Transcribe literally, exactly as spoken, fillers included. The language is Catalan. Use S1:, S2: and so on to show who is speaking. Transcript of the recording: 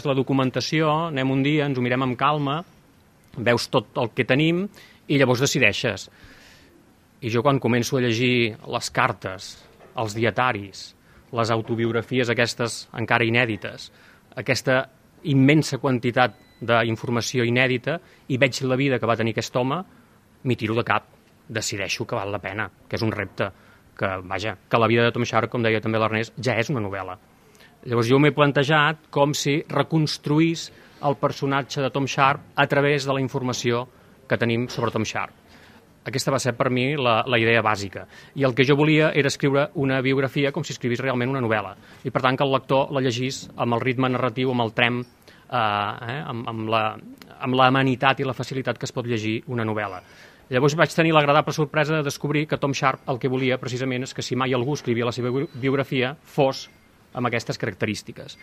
S1: la documentació, anem un dia, ens ho mirem amb calma, veus tot el que tenim i llavors decideixes. I jo quan començo a llegir les cartes, els dietaris, les autobiografies aquestes encara inèdites, aquesta immensa quantitat d'informació inèdita i veig la vida que va tenir aquest home, m'hi tiro de cap, decideixo que val la pena, que és un repte, que, vaja, que la vida de Tom Sharp, com deia també l'Ernest, ja és una novel·la. Llavors jo m'he plantejat com si reconstruís el personatge de Tom Sharp a través de la informació que tenim sobre Tom Sharp. Aquesta va ser per mi la, la idea bàsica. I el que jo volia era escriure una biografia com si escrivís realment una novel·la. I per tant que el lector la llegís amb el ritme narratiu, amb el trem, eh, eh, amb, amb, la, amb la amenitat i la facilitat que es pot llegir una novel·la. Llavors vaig tenir l'agradable sorpresa de descobrir que Tom Sharp el que volia precisament és que si mai algú escrivia la seva biografia fos amb aquestes característiques.